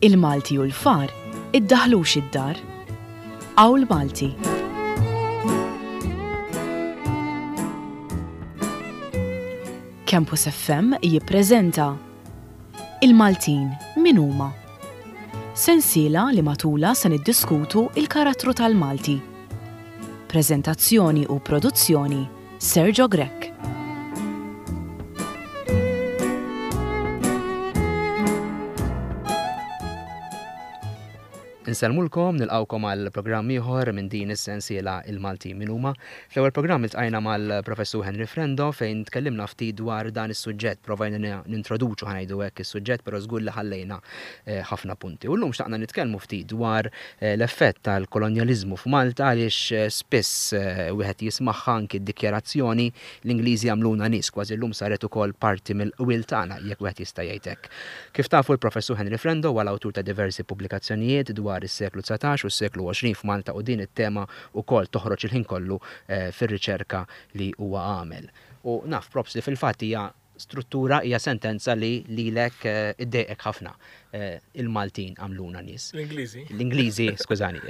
Il-Malti u l-far iddaħlux id-dar. Qawl Malti. Campus FM jippreżenta Il-Maltin min huma? Sensiela li matulha se niddiskutu il-karattru tal-Malti. Preżentazzjoni u produzzjoni Sergio Grech. Insellmulkom, nilqgħukom għal programm ieħor minn din is-sensiela Il-Maltin Min Huma. Fl-ewwel programm iltqajna mal-Professur Henry Frendo fejn tkellimna ftit dwar dan is-suġġett, provajna nintroduċu ħa ngħidu hekk is-suġġett però żgur li ħallejna eh, ħafna punti. U llum xtaqna nitkellmu ftit dwar eh, l-effett tal-kolonjaliżmu f'Malta għaliex eh, spiss wieħed jismagħha anki d-dikjarazzjoni l-Ingliżi għamluna nies kważi llum saret ukoll parti mill-qwiel tagħna jekk wieħed jista' jgħid hekk. Kif tafu l-Professur Henry Frendo huwa l-awtur ta' diversi pubblikazzjonijiet dwar is-seklu 19 u s-seklu 20 f'Malta u din it-tema wkoll toħroġ il-ħin kollu fir-riċerka li huwa għamel. U naf props li fil-fatt hija struttura, hija sentenza li lilek iddejqek ħafna. Il-Maltin għamluna nies. L-Ingliżi. L-Ingliżi, skużani,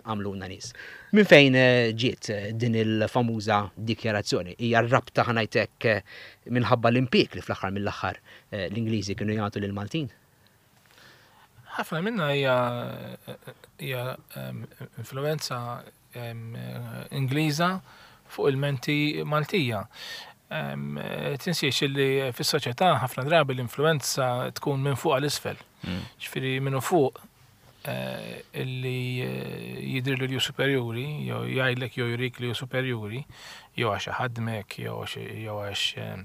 għamluna nies. Minn fejn ġiet din il-famuża dikjarazzjoni? Hija r-rabta ħa ngħid hekk minħabba l-impieg li fl-aħħar mill-aħħar l-Ingliżi kienu jagħtu lill-Maltin? Ħafna minna hija hija influenza Ingliża fuq il-menti Maltija. Tinsiex li fis-soċjetà ħafna drabi l-influenza tkun minn fuq għal isfel. Mm. Ġifieri minn fuq eh, illi eh, jidhirlu li hu superjuri, jew jgħidlek jew jurik li hu superjuri, jew għax ħadmek, jew għax eh,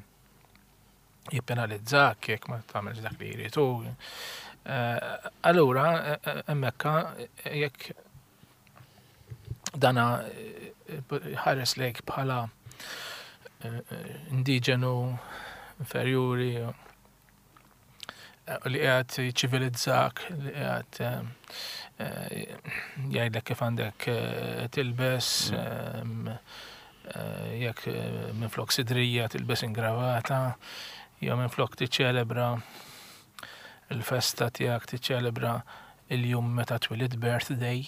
jippenalizzak jekk ma tagħmelx dak li jrid hu. Eh, allura eh, eh, hemmhekk jekk dana ħares lejk bħala indiġenu inferjuri li qiegħed jiċċivilizzak, li qiegħed eh, eh, jgħidlek kif għandek eh, tilbes, mm. jekk minflok sidrija tilbes ingravata, jew minflok tiċċelebra il-festa tiegħek tiċċelebra il-jum meta twilid birthday.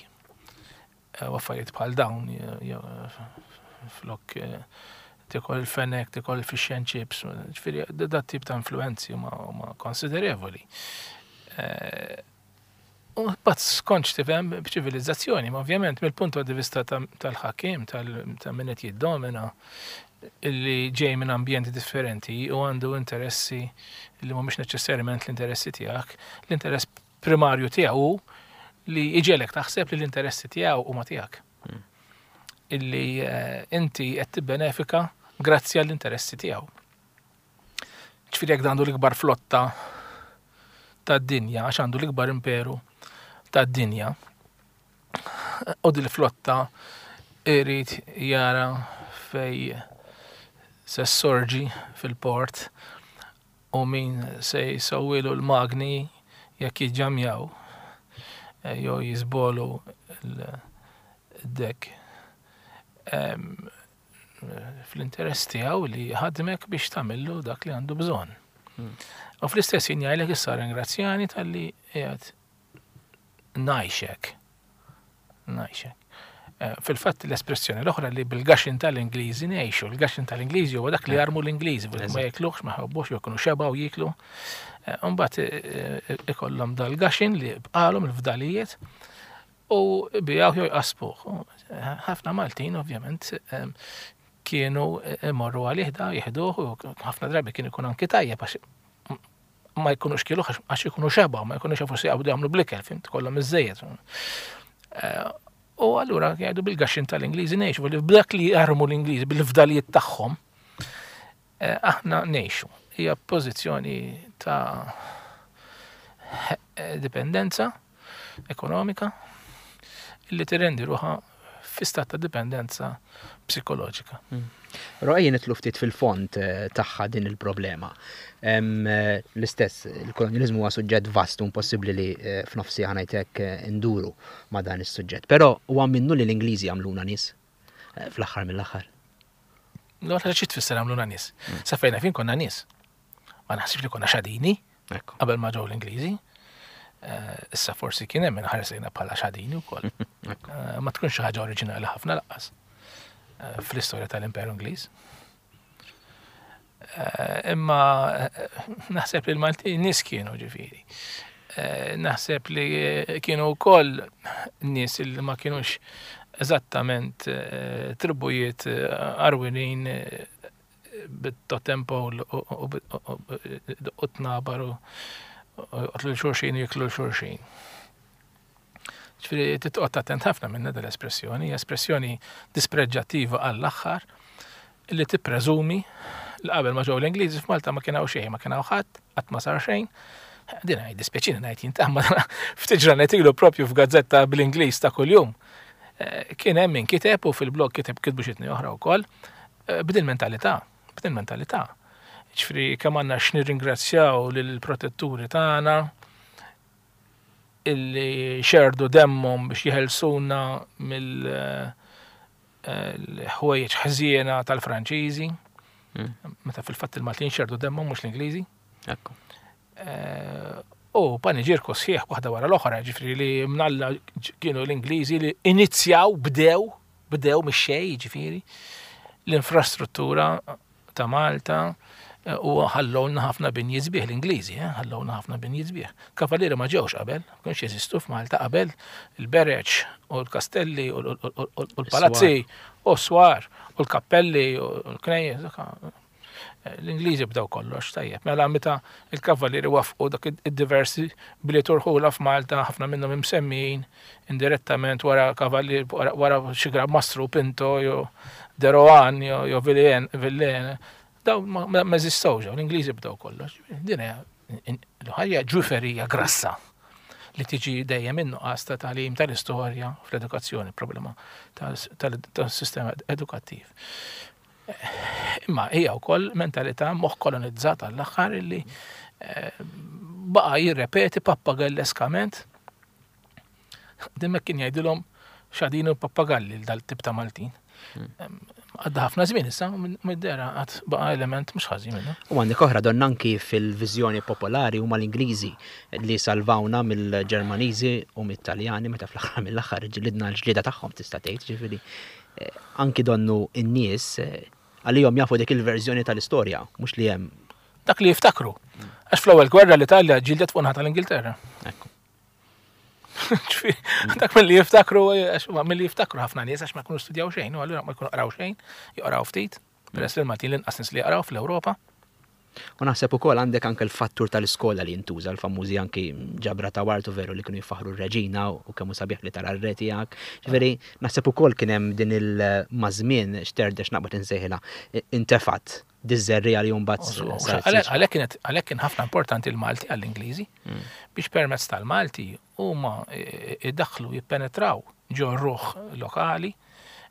Eh, u affarijiet bħal dawn, flok eh, tikol il-fenek, tikol il-fish and chips, ġifieri dat tip ta' influenzi huma konsiderevoli. Eh, u bat skonċ tifhem b'ċivilizzazzjoni, ma ovvjament mill-punt di vista tal-ħakim, ta' min qed jiddomina, illi ġej minn ambjenti differenti u għandu interessi li mhumiex neċessarjament l-interessi tiegħek, l-interess primarju tiegħu hu li jġegħlek taħseb li l-interessi tiegħu huma tiegħek. Hmm. Illi eh, inti qed tibbenefika grazzi għall-interessi tiegħu. Ġifieri jekk għandu l-ikbar flotta tad-dinja, għax għandu l-ikbar imperu tad-dinja, u dil-flotta irid jara fej se sorġi fil-port u min se jsewwilu l-magni jekk jiġġamjaw eh, jew jiżbolu l-dek fl-interess tiegħu li ħadmek biex tagħmillu dak li għandu bżonn. Hmm. U fl-istess jien jgħidlek issa ringrazzjani talli qiegħed ngħixek. Ngħixek. Eh, fil-fatt l-espressjoni l-oħra li bil-gaxin tal-Ingliżi ngħixu, il-gaxin tal-Ingliżi huwa dak li eh. jarmu l-Ingliżi, ma jekluhx, ma jħobbux, jew jkunu xeba u jiklu. Eh, mbagħad ikollhom dal-gaxin li bqalhom il-fdalijiet u bijaw jew jqasbuh. Ħafna Maltin ovvjament kienu imorru għalih da jieħduh u ħafna drabi kien ikun anki tajjeb għax ma jkunux kielu għax ikunu xeba, ma jkunux jafu se jaqbdu jagħmlu blikel, fimt, kollhom iżejjed. Eh, u allura jgħidu bil-gaxxin tal-Ingliżi ngħixu, li b'dak li jarmu l-Ingliżi bil-fdalijiet tagħhom, eh, aħna ngħixu. Hija pożizzjoni ta' eh, dipendenza ekonomika li tirrendi ruħha fi stat ta' dipendenza psikoloġika. Hmm. Però ejja nitlu ftit fil-fond eh, tagħha din il-problema. Eh, l-istess, il-kolonjaliżmu huwa suġġett vast u impossibbli li eh, f'nofsi ħanajtek induru ma' dan is-suġġett. Però huwa minnu li l-Ingliżi għamluna nies fl-aħħar mill-aħħar. L-għotra xi tfisser għamluna nies? Hmm. Sa fejna fin konna nies. Ma naħsibx li konna xadini qabel ma ġew l-Ingliżi. Issa forsi kien hemm inħares lejna bħala xadini wkoll. Ma tkunx xi ħaġa oriġinali ħafna laqqas fl-istorja tal-Imperu Ingliż. Imma naħseb li l-Maltin nies kienu ġifieri. Naħseb li kienu wkoll nies li ma kienux eżattament tribujiet arwinin bit-totem pole u tnabar u joqtlu xulxin u jiklu xulxin. Ġifieri titqgħod attent ħafna minna dal-espressjoni, espressjoni dispreġġattiva għall-aħħar li tippreżumi li qabel ma ġew l-Ingliżi f'Malta ma kien hawn xejn, ma kien hawn ħadd, qatt ma sar xejn. Din għaj dispjaċini ngħid jien ta' ftit ġranet ilu propju f'gazzetta bl-Ingliż ta' kuljum. Eh, kien hemm min kiteb u fil-blog kiteb kitbu xi oħra wkoll eh, b'din mentalità, b'din mentalità. Ġifieri kemm għandna x'nirringrazzjaw lill-protetturi tagħna illi xerdu demmhom biex jeħelsuna mill eh, ħwejjeġ ħżiena tal-Franċiżi. Hmm. Meta fil-fatt il-Maltin xerdu demmhom mhux l-Ingliżi. Ekku. Eh, u paniġirku sħiħ waħda wara l-oħra, ġifri li mnalla kienu l-Ingliżi li inizjaw, bdew, bdew mix-xej, ġifiri, l-infrastruttura ta' Malta eh, u ħallowna ħafna binji sbieħ l-Ingliżi, eh, ħallowna ħafna binji sbieħ. Kavalieri ma ġewx qabel, ma kienx jeżistu f'Malta qabel il-bereċ u l-kastelli u l-palazzi u s-swar u l-kappelli u l-knejjes. L-Ingliżi bdew kollox tajjeb. Mela meta il-Kavallieri waffqu dak id-diversi bliet u rħula f'Malta, ħafna minnhom imsemmijin indirettament wara Kavallier wara xi Gran Mastru Pinto jew De Rohan jew Villene, dawn ma eżistewx, l-Ingliżi bdew kollox. Din hija ħajja ġuferija grassa li tiġi dejjem in-nuqqas ta' tagħlim tal-istorja fl-edukazzjoni, problema tas-sistema edukattiv. Imma hija wkoll mentalità moħħ kolonizzat għall-aħħar illi eh, baqa' jirrepeti pappagalleskament Dimmek kien jgħidilhom xadin u pappagalli dal-tip ta' Maltin. Hmm. Għadda ħafna żmien issa, mid-dera għad baqa' element mhux ħażin minnu. U għandek oħra donna anki fil-viżjoni popolari huma l-Ingliżi li salvawna mill-Ġermaniżi u mit-Taljani meta fl-aħħar mill-aħħar ġlidna l-ġlieda tagħhom tista' tgħid, ġifieri anki donnu n-nies għalihom jafu dik il-verżjoni tal-istorja, mhux li hemm. Dak li jiftakru. Għax fl-ewwel gwerra l-Italja ġildet fuq naħa tal-Ingilterra. Ekku. Dak mill-li jiftakru, għax mill-li jiftakru ħafna nies għax ma jkunu studjaw xejn, u allura ma jkunu qraw xejn, joqraw ftit, peress li l-Maltin l-inqas nies li jaqraw fl-Ewropa. U naħseb ukoll għandek anke l-fattur tal-iskola li jintuża l-famużi anki ġabra ta' wartu veru li kienu jfaħru r-reġina u kemm hu sabiħ li tara r-re tiegħek. Ġifieri naħseb ukoll kien hemm din il-mażmien xterdex naqbad insejħilha intefat diż-żerriegħa li mbagħad Għalhekk kienet għalhekk kien ħafna importanti l-Malti għall-Ingliżi mm. biex permezz tal-Malti huma idaħħlu jippenetraw ġo ruħ lokali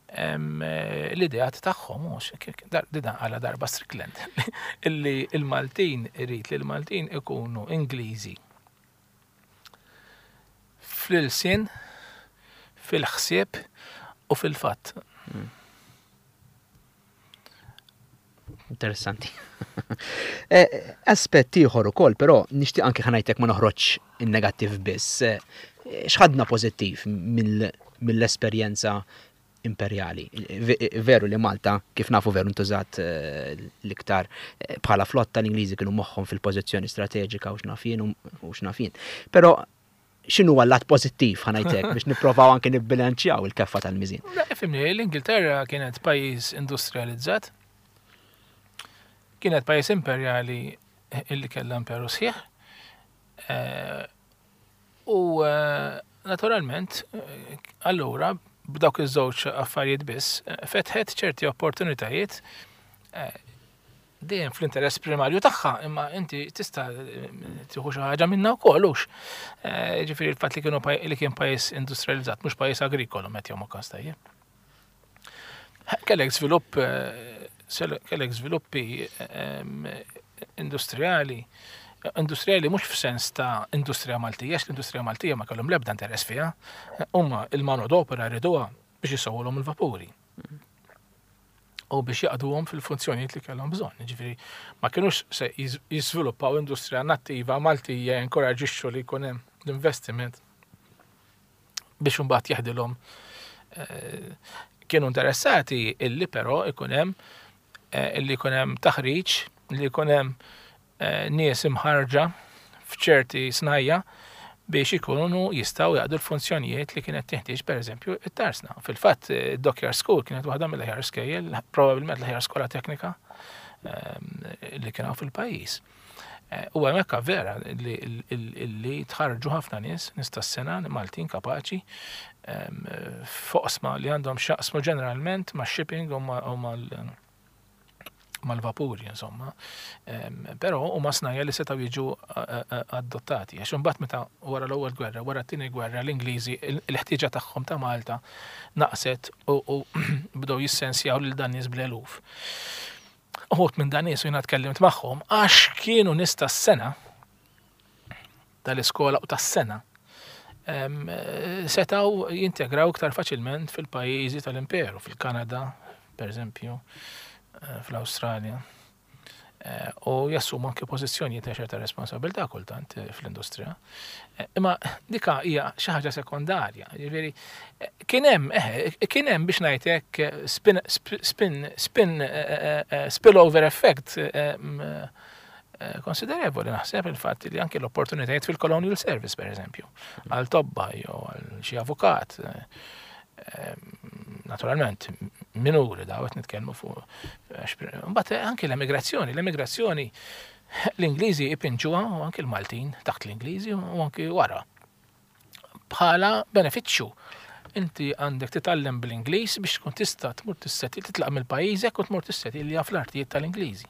l-ideat tagħhom dida għala darba Strickland illi il-Maltin irid li l-Maltin ikunu Ingliżi fl-ilsien, fil-ħsieb u fil-fatt. Hmm. Interessanti. Eh, aspett ieħor ukoll, però nixtieq anke ħanajtek ma noħroġ in-negattiv biss. Eh, x'ħadna pożittiv mill-esperjenza imperjali? Veru li Malta, kif nafu veru ntużat eh, l-iktar bħala flotta l-Ingliżi kienu moħħhom fil-pożizzjoni strateġika u x'naf jien u x'naf jien. Però x'inhu l-lat pożittiv ħanajtek biex nipprovaw anke nibbilanċjaw il-keffa tal-miżin. Fimni, l-Ingilterra kienet pajjiż industrializzat, kienet pajjiż imperjali illi kellha imperu sħiħ. Eh, u eh, naturalment, eh, allura, b'dawk iż-żewġ affarijiet biss, fetħet ċerti opportunitajiet dejjem fl-interess primarju tagħha, imma inti tista' tieħu xi ħaġa minnha wkoll hux. Eh, ġifieri l-fatt li kienu li kien pajjiż industrializzat, mhux pajjiż agrikolu meta jom każ tajjeb. Kellek żvilupp eh, kellek żviluppi ehm, industrijali industrijali mhux f'sens ta' industrija Maltija, għax l-industrija Maltija ma kellhom l-ebda interess fiha, huma il-manodopera riduha biex isewwulhom il-vapuri. U biex jaqduhom fil-funzjonijiet li kellhom bżonn. Ġifieri ma kinux se jiżviluppaw industrija nattiva Maltija jinkoraġixxu li jkun hemm l-investiment biex imbagħad jaħdilhom eh, kienu interessati illi però ikun hemm eh, illi jkun hemm taħriġ, li jkun hemm eh, nies imħarġa f'ċerti snajja biex ikunu jistgħu jaqdu l-funzjonijiet li kienet tinħtieġ pereżempju it-tarsna. Fil-fatt, Dockyard School kienet waħda mill-aħjar skejjel, probabbilment l-aħjar skola teknika li kien fil-pajjiż. Eh, u hemmhekk vera li tħarġu ħafna nies, nies tas-sena Maltin kapaċi, foqsma li għandhom xaqsmu ġeneralment ma' shipping u mal-vapuri, insomma. Però huma snajja li setgħu jiġu eh, eh, adottati. Għax imbagħad meta wara l-ewwel gwerra, wara t-tieni gwerra, l-Ingliżi l-ħtieġa tagħhom ta' Malta naqset u bdew jissensjaw lil dan nies bl-eluf. Uħud minn dan nies u jiena tkellimt magħhom għax kienu nies tas-sena tal-iskola u tas-sena setgħu jintegraw iktar faċilment fil-pajjiżi tal-imperu, fil-Kanada, per eżempju, eh, fl-Awstralja. Eh, u jassumu anke pożizzjonijiet ta' ċerta responsabilità kultant eh, fl-industrija. Eh, imma dika hija xi ħaġa sekondarja. Ġifieri kien hemm kien hemm biex ngħid hekk spin spin spin spillover effect konsiderevoli naħseb il-fatt li anke l-opportunitajiet fil-colonial service per eżempju, għal tobba jew għal xi avukat naturalment minuri daw qed nitkellmu fuq. Mbagħad anke l-emigrazzjoni, l-emigrazzjoni l-Ingliżi ipinġuha u anke l-Maltin taħt l-Ingliżi u anke wara. Bħala benefiċċju. Inti għandek titgħallem bl-Ingliż biex tkun tista' tmur tisseti titlaq mill-pajjiżek u tmur tissetilja fl-artijiet tal-Ingliżi.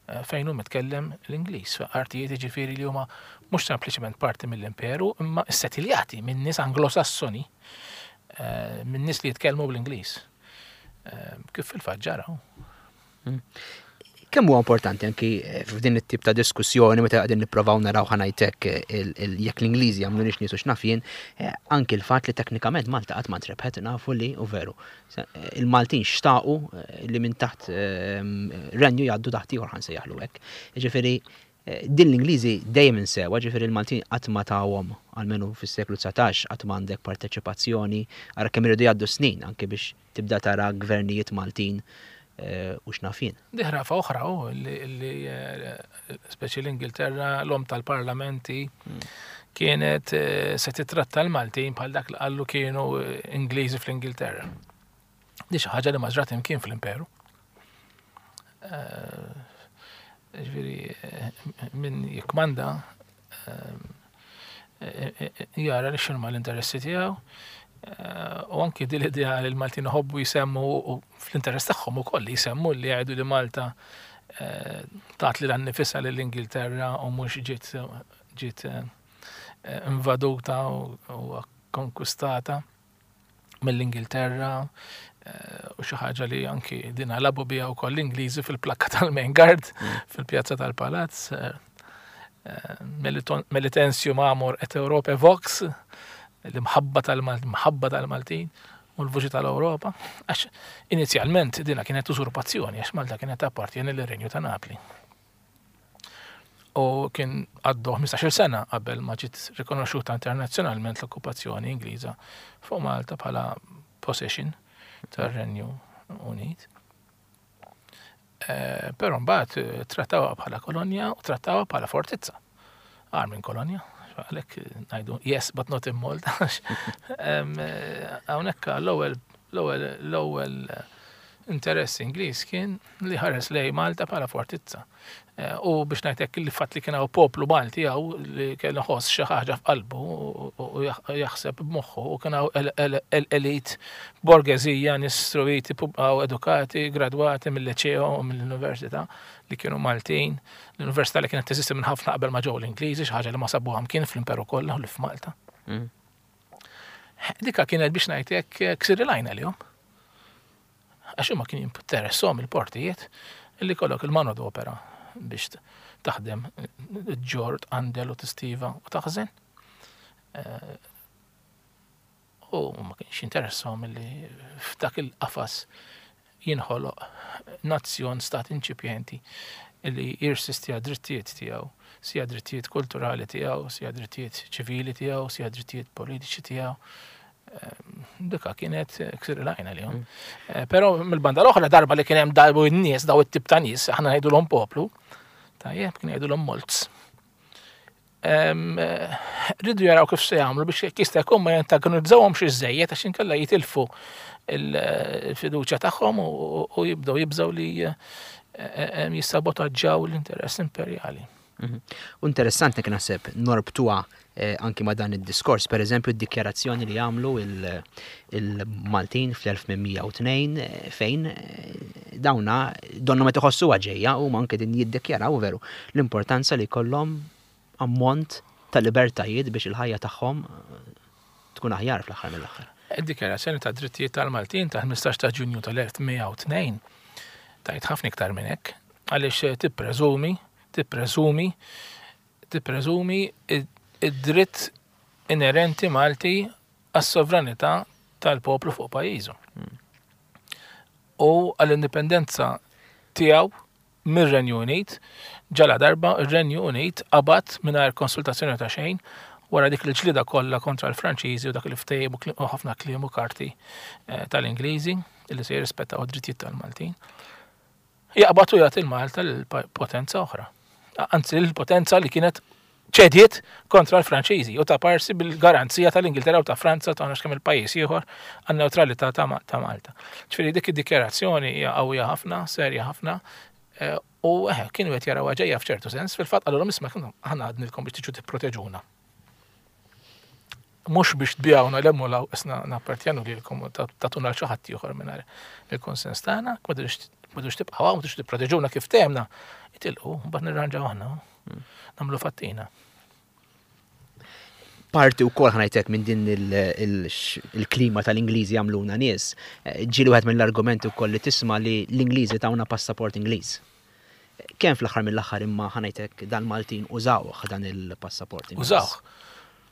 Eh, fejn hu mitkellem l-Ingliż, artijiet jiġifieri li huma mhux sempliċement parti mill-imperu, imma ssetiljati minn nies Anglosassoni, eh, minn nies li jitkellmu bl-Ingliż. Eh, kif fil-fatt ġara. Hmm. Kemm huwa importanti anki f'din it-tip ta' diskussjoni meta qegħdin nipprovaw naraw ħanajtek jekk l-Ingliżi jagħmlu nix nies u x'naf jien, anki l-fatt li teknikament Malta qatt ma ntrebħet nafu li u veru Il-Maltin xtaqu eh, li minn taħt eh, renju jgħaddu taħt ieħor ħan sejjaħlu hekk. Ġifieri eh, din l-Ingliżi dejjem insewa, ġifieri l-Maltin qatt ma tawhom almenu fis-seklu 19 qatt ma għandek parteċipazzjoni, ara kemm iridu jgħaddu snin anke biex tibda tara gvernijiet Maltin u x'naf jien. Di ħrafa oħra u li speċi l-Ingilterra l-om tal-parlamenti hmm. kienet eh, se titratta l-Maltin bħal dak li qallu kienu eh, Ingliżi fl-Ingilterra. Di xi ħaġa li ma ġrat imkien fl-Imperu. Eh, ġifieri min jikmanda jara li x'inhuma l-interessi tiegħu u anki din l-idea li l-Maltin iħobbu jsemmu u fl-interess tagħhom ukoll li jsemmu li jgħidu li Malta tat lilha nnifisha lill-Ingilterra u mhux ġiet ġiet eh, invaduta u konkwistata mill-Ingilterra eh, u xi ħaġa li anki din labu biha wkoll l-Ingliżi fil-plakka tal-Main Guard mm. fil-pjazza tal-Palazz. Eh, Melitensium amor et Europe vox, l-imħabba tal-mħabba tal-Maltin u l-vuċi tal-Ewropa. Għax inizjalment dina kienet usurpazzjoni għax Malta kienet appartjeni l-Renju ta' Napli. U kien għaddu 15-il sena qabel ma ġiet rikonoxxuta internazzjonalment l-okkupazzjoni Ingliża fuq Malta bħala possession tar-Renju Unit. Eh, però mbagħad eh, trattawha bħala kolonja u trattawha bħala fortizza. Agħar minn kolonja, għalhekk eh, ngħidu yes but not in Malta. Hawnhekk l-ewwel l-ewwel l-ewwel interess Ingliż kien li ħares lej Malta bħala fortizza. Eh, u biex ngħidlek il fatt li kien hawn poplu Malti hawn li kellu ħoss xi ħaġa f'qalbu u jaħseb b'moħħu u kien hawn elit borgeżija nies struwiti u edukati, gradwati mill-liċeo u mill-università li kienu Maltin. L-università li kienet teżisti minn ħafna qabel ma ġew l-Ingliżi, xi ħaġa li ma sabuha mkien fl-Imperu kollha u li f'Malta. Mm. Dika kienet biex ngħidlek ksir il-għajn għalihom. Għax huma kien jinteresshom il-portijiet li kollok il-manodopera biex taħdem ġġorr, tqandel u tistiva u taħżen. Eh, u ma kienx jinteressahom li f'dak il-qafas jinħoloq nazzjon stat inċipjenti li jirsisti għad-drittijiet tiegħu, sija drittijiet kulturali tiegħu, sija drittijiet ċivili tiegħu, sija drittijiet politiċi tiegħu. Dika kienet ksir l-għajna li mm. eh, Pero mill-banda l-oħra darba li kien hemm darbu n-nies, daw it-tip ta' nies, aħna ngħidulhom poplu, tajjeb kien jgħidulhom molts. Eh, rridu jaraw kif se jagħmlu biex jekk jista' jkun ma jantagonizzawhomx iżejjed għax inkella jitilfu il-fiduċja tagħhom u jibdew jibżgħu li eh, jissabotaġġaw l-interess imperjali. Mhm. U interessanti kien naħseb norbtuha eh, anki ma' dan id-diskors, per eżempju d-dikjarazzjoni li għamlu il-Maltin fl-1802 eh, fejn eh, dawna donna meta ħossuha ġejja u anke din jiddikjaraw veru l-importanza li jkollhom ammont ta' libertajiet biex il-ħajja tagħhom tkun aħjar fl-aħħar mill-aħħar. Id-dikjarazzjoni ta' drittijiet tal-Maltin ta' 15 ta' Ġunju tal-1802 tajt ħafna iktar minn hekk għaliex tippreżumi tippreżumi tippreżumi id-dritt inerenti Malti għas-sovranità tal-poplu fuq pajjiżu. U għall-indipendenza tiegħu mir-Renju Unit, ġala darba ir-Renju Unit qabad mingħajr konsultazzjoni ta' xejn wara dik il-ġlida kollha kontra l-Franċiżi u dak il-ftehim u ħafna kliem u karti eh, tal-Ingliżi li se jirrispettaw id-drittijiet tal-Maltin. Jaqbad u jagħti l-Malta lil potenza oħra. Anzi, l-potenza li kienet ċediet kontra l-Franċiżi u ta' parsi bil-garanzija tal-Ingilterra u ta' Franza ta' kemm il-pajjiż ieħor għan-newtralità ta' Malta. Ġifieri dik id-dikjarazzjoni hija qawwija ħafna, serja ħafna, eh, u eh, kienu qed jaraw ġejja f'ċertu sens, fil-fatt qalulhom isma' aħna għadnilkom biex tiġu tipproteġuna. Mhux biex tbijawna l hemm law isna nappartjenu lilkom u tagħtuna l xi ħadd ieħor mingħajr il-konsens tagħna, ma tridux tibqgħu hawn, ma tridux tipproteġuna kif temna, itilqu, mbagħad nirranġaw aħna. Hmm. Nagħmlu fattina. Parti wkoll ħanajtek minn din il-klima tal-Ingliżi għamluna nies. Eh, ġieli wieħed mill-argumenti wkoll li tisma' li l-Ingliżi tawna passaport Ingliż. Kemm fl-aħħar mill-aħħar imma ħa ngħid hekk dal-Maltin użawh dan il-passaport Ingliż? Użawh.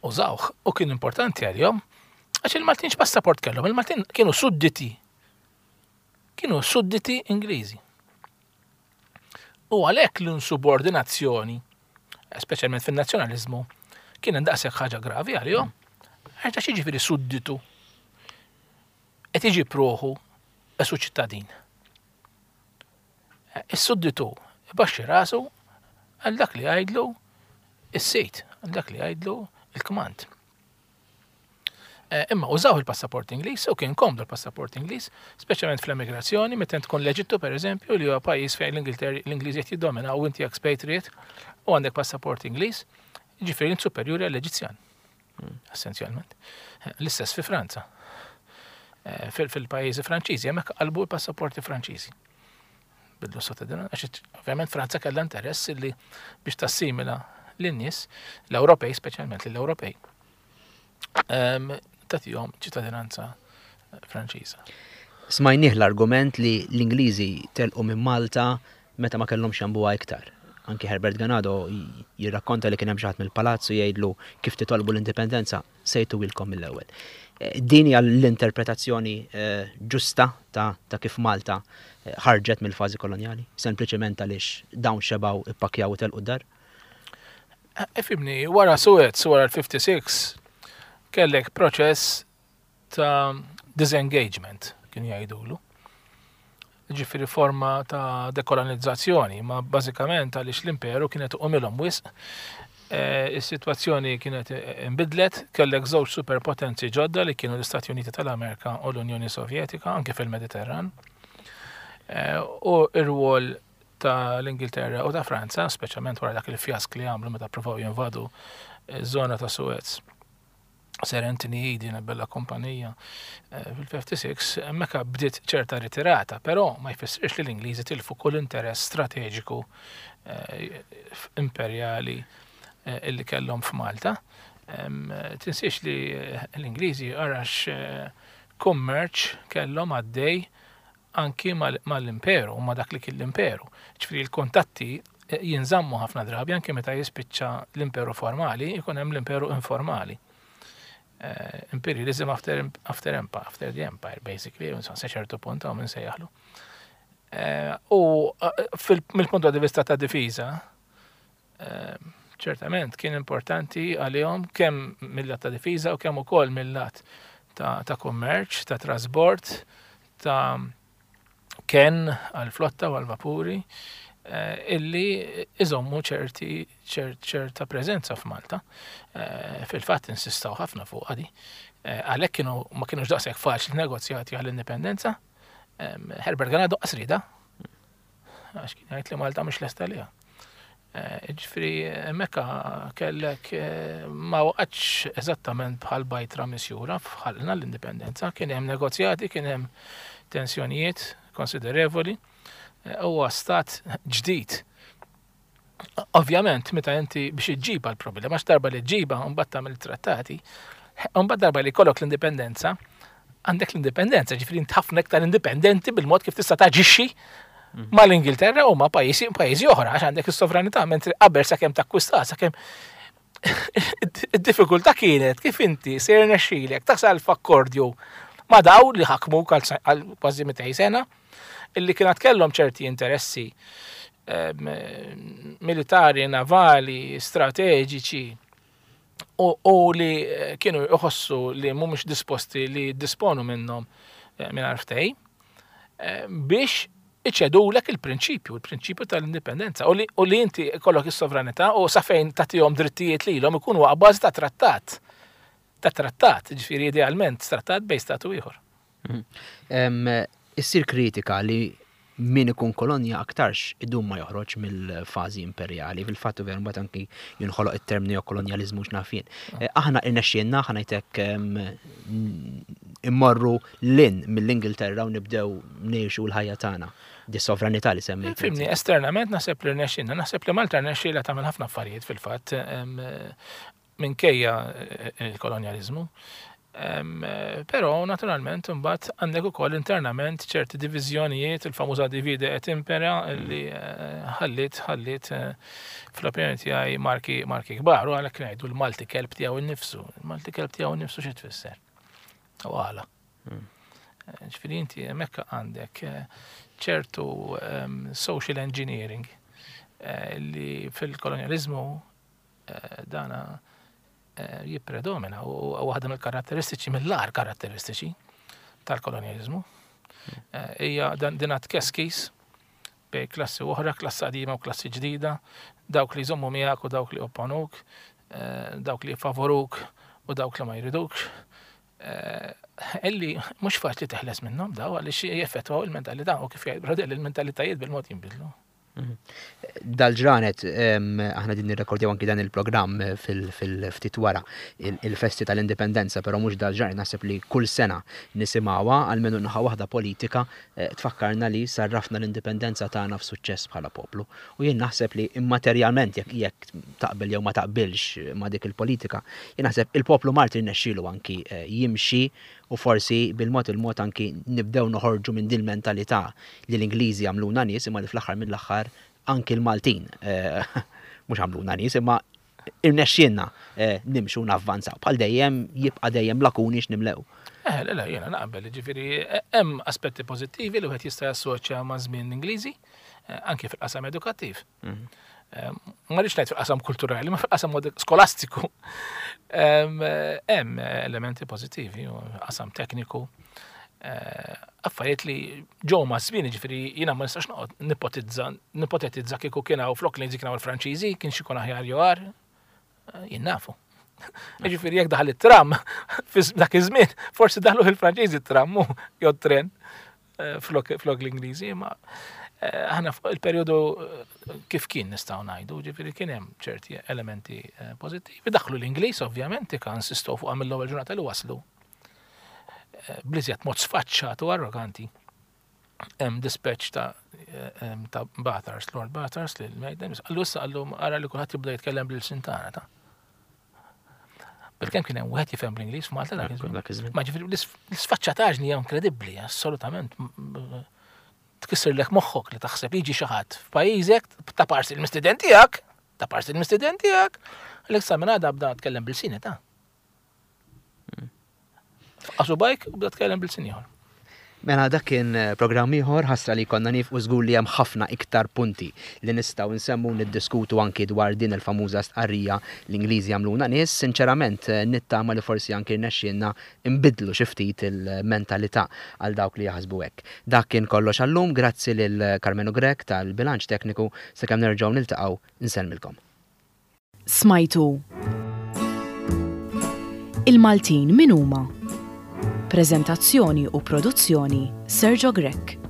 Użawh u kien importanti għalihom għax il-Maltin x'passaport kellhom? Il-Maltin kienu sudditi. Kienu sudditi Ingliżi. U għalhekk l-insubordinazzjoni, speċjalment fin-nazzjonaliżmu, kien daqshekk ħaġa gravi għalihom. Għax jiġifieri sudditu qed iġib ruħu esu ċittadin. Is-sudditu ibaxxi rasu għal dak li jgħidlu is-sid, għal dak li jgħidlu il-kmand. Eh, imma użaw il-passaport Ingliż u kien komdu l-passaport Ingliż, speċjalment fl-emigrazzjoni, meta tkun l-Eġittu pereżempju li huwa pajjiż fejn l-Ingliż qed jiddomina u inti expatriate u għandek passaport Ingliż, ġifieri int superjuri għall-Eġizzjan. Hmm. Essenzjalment. Eh, l-istess fi Franza. Eh, fil-pajjiżi Franċiżi, hemmhekk qalbu l-passaporti Franċiżi. Bidlu s-sotedina, għax ovvjament Franza kellha interess li biex tassimila lin-nies, l-Ewropej speċjalment lill-Ewropej, ehm, tagħtihom ċittadinanza Franċiża. Smajnieh l-argument li l-Ingliżi telqu minn Malta meta ma kellhomx jambuha iktar. Anki Herbert Ganado jirrakkonta li kien hemm xi ħadd mill-palazz u jgħidlu kif titolbu l-indipendenza se jtuwilkom mill-ewwel. Eh, din hija l-interpretazzjoni eh, ġusta ta', ta kif Malta eh, ħarġet mill-fażi kolonjali, sempliċement għaliex dawn xebgħu ippakjaw u telqu d-dar? Ifimni, wara Suez, wara l-56, kellek proċess ta' disengagement, kienu jgħidulu. Ġifieri forma ta' dekolonizzazzjoni, ma bażikament għaliex l-imperu kienet uqumilhom wisq. Eh, is-sitwazzjoni kienet inbidlet, kellek żewġ superpotenzi ġodda li kienu l-Istati Uniti tal-Amerika u l-Unjoni Sovjetika, anke fil-Mediterran. Eh, u r-rwol tal-Ingilterra u ta' Franza, speċjalment wara dak il-fjask li għamlu meta provaw jinvadu ż-żona ta' Suez. Sir Anthony Eden, bella kumpanija eh, fil-56, hemmhekk bdiet ċerta ritirata, però ma jfissirx li l-Ingliżi tilfu kull interess strateġiku eh, imperjali eh, illi kellhom f'Malta. Tinsiex li l-Ingliżi għarax kummerċ kellhom għaddej anki mal-imperu, ma dak li kien l-imperu. Ġifieri l-kuntatti eh, jinżammu ħafna drabi anki meta jispiċċa l-imperu formali, ikun hemm l-imperu informali. Eh, imperialism after, after empire, after the empire, basically, sa ċertu punt għaw minn sejjaħlu. U mill-punt di vista ta' difiża, ċertament kien importanti għalihom kemm mill-lat ta' difiża u kemm ukoll mill-lat ta' kummerċ, ta' trasbord, ta' kenn għall-flotta u għall-vapuri illi iżommu ċerti ċerta preżenza f'Malta. Fil-fatt insistaw ħafna fuq għadi. Għalhekk kienu ma kienux daqshekk faċli negozjati għall-indipendenza. Herbert Ganado qasrida għax kien jgħid li Malta mhux lesta liha. Eh, ġifri, hemmhekk kellek eh, ma waqgħetx eżattament bħal bajtra misjura fħalna l-indipendenza, kien hemm negozjati, kien hemm tensjonijiet konsiderevoli, eh, huwa stat ġdid. Ovvjament, meta inti biex iġġiba l-problema, għax darba li ġġiba mbagħad tagħmel trattati, mbagħad darba li jkollok l-indipendenza, għandek l-indipendenza, ġifri int ħafna iktar indipendenti bil-mod kif tista' taġixxi mhm. mal-Ingilterra u ma' pajjiżi pajjiżi oħra għax għandek is-sovranità mentri qabel sakemm takkwista sakemm id-diffikultà kienet kif inti se jirnexxilek tasal f'akkordju ma' daw li ħakmu għal kważi 200 sena illi kienet kellhom ċerti interessi ehm, militari, navali, strateġiċi u li eh, kienu jħossu li mhumiex disposti li jiddisponu minnhom eh, mingħajr ftehim eh, biex iċedulek il-prinċipju, il-prinċipju tal-indipendenza u li inti kollok is-sovranità u sa fejn tagħtihom drittijiet lilhom ikunu bażi ta' trattat. Ta' trattat, ġifieri idealment trattat bejn statu ieħor. Mhm. Issir kritika li min ikun kolonja aktarx idum ma joħroġ mill-fażi imperjali. Fil-fatt veru mbagħad anki jinħoloq it-term neokolonjaliżmu x'naf jien. Eh, aħna irnexxielna ħa ngħidlek immorru lin mill-Ingilterra u nibdew ngħixu l-ħajja tagħna. Di sovranità li semmejt. Fimni, esternament naħseb li rnexxielna, naħseb li Malta rnexxielha tagħmel ħafna affarijiet fil-fatt minkejja il-kolonjaliżmu. Però naturalment imbagħad għandek ukoll internament ċerti diviżjonijiet, il-famuża divide et impera li eh, ħallit ħallit eh, fl-opinjoni tiegħi marki marki kbar u għalhekk ngħidu l-Malti kelb tiegħu nnifsu. Il-Malti kelb tiegħu nnifsu xi tfisser? U għala. Hmm. Eh, ġifieri inti hemmhekk għandek ċertu ehm, social engineering li fil-kolonjaliżmu dana eh, jippredomina u waħda mill-karatteristiċi, mill-ar karatteristiċi tal-kolonjalizmu. Eh, hija din tkeskis bej klassi oħra, klassi qadima u klassi ġdida, dawk li jżommu miegħek u dawk li opponuk, eh, dawk li favoruk u dawk li ma jridukx. Illi mhux faċli teħles minnhom daw għaliex jeffettwaw il-mentalità u kif jgħid Brodell il-mentalitajiet bil-mod jinbidlu. Dal-ġranet, aħna din nirrekordjaw anki dan il-programm fil-ftit wara il-festi tal-indipendenza, però mhux dal-ġranet naħseb li kull sena nisimgħuha, almenu naħa waħda politika eh, tfakkarna li sarrafna l-indipendenza tagħna f'suċċess bħala poplu. U jien naħseb li immaterjalment jekk jekk taqbel jew ma taqbilx ma dik il-politika, jien naħseb il-poplu Malti rnexxielu anki eh, jimxi U forsi bil-mod il-mod anki nibdew noħorġu minn din il-mentalità li l-Ingliżi għamluna nies imma li fl-aħħar mill-aħħar anki l-Maltin mhux għamluna nies imma irnexxielna nimxu u navvanzaw. Bħal dejjem jibqa' dejjem lakuni x'nimlew. Eh, le, le, jiena naqbel, ġifieri hemm aspetti pożittivi li wieħed jista' jassoċja ma' żmien l-Ingliżi, anke fil-qasam edukattiv. Mhm. Ma rridx ngħid fil-qasam kulturali, ma fil-qasam skolastiku. Hemm elementi pożittivi, qasam tekniku, eh, affarijiet li ġew ma' żmien, ġifieri jiena ma nistax noqgħod nipotizza, nipotetizza kieku kien hawn flok li kien hawn il-Franċiżi, kien xi jkun aħjar jew agħar, eh, jien nafu. Ġifieri jekk daħal it-tram dak iż-żmien, forsi daħlu il-Franċiżi t-tram jew tren. Eh, flok l-Ingliżi, ma eh, aħna fuq il-perjodu eh, kif kien nistgħu ngħidu, ġifieri kien hemm ċerti elementi pożittivi. Daħlu l-Ingliż ovvjament kan insistow fuq mill-ewwel ġurnata li waslu. Bliżjed mod sfaċċat u arroganti. Hemm dispatch ta' ta' Bathurst, Lord Bathurst li l-Mejden, għallu issa għallu ara li kulħadd jibda jitkellem bil-sintana ta' Bilkemm kien hemm wieħed jifhem bl-Ingliż f'Malta dak iż-żmien. Ma ġifieri l-isfaċċataġni hija inkredibbli, assolutament. Tkissirlek moħħok li taħseb jiġi xi ħadd f'pajjiżek ta' parsi l-mistiden tiegħek, ta' parsi l-mistiden tiegħek, għalhekk sa minn għada bda tkellem bil-sini ta' Faqasu bajk u bda tkellem bil-sin ieħor. Mela dak kien eh, programm ieħor ħasra li konna nifqu żgur li hemm ħafna iktar punti li nistgħu nsemmu niddiskutu anki dwar din il-famuża stqarrija l-Ingliżi għamluna nies. Sinċerament eh, nittama li forsi anki rnexxielna nbiddlu xi ftit il-mentalità għal dawk li jaħsbu hekk. Dak kien kollox għallum, grazzi lil Karmenu Grech tal-bilanċ tekniku sakemm nerġgħu niltaqgħu nsellmilkom. Smajtu Il-Maltin min huma? Preżentazzjoni u produzzjoni Sergio Grech.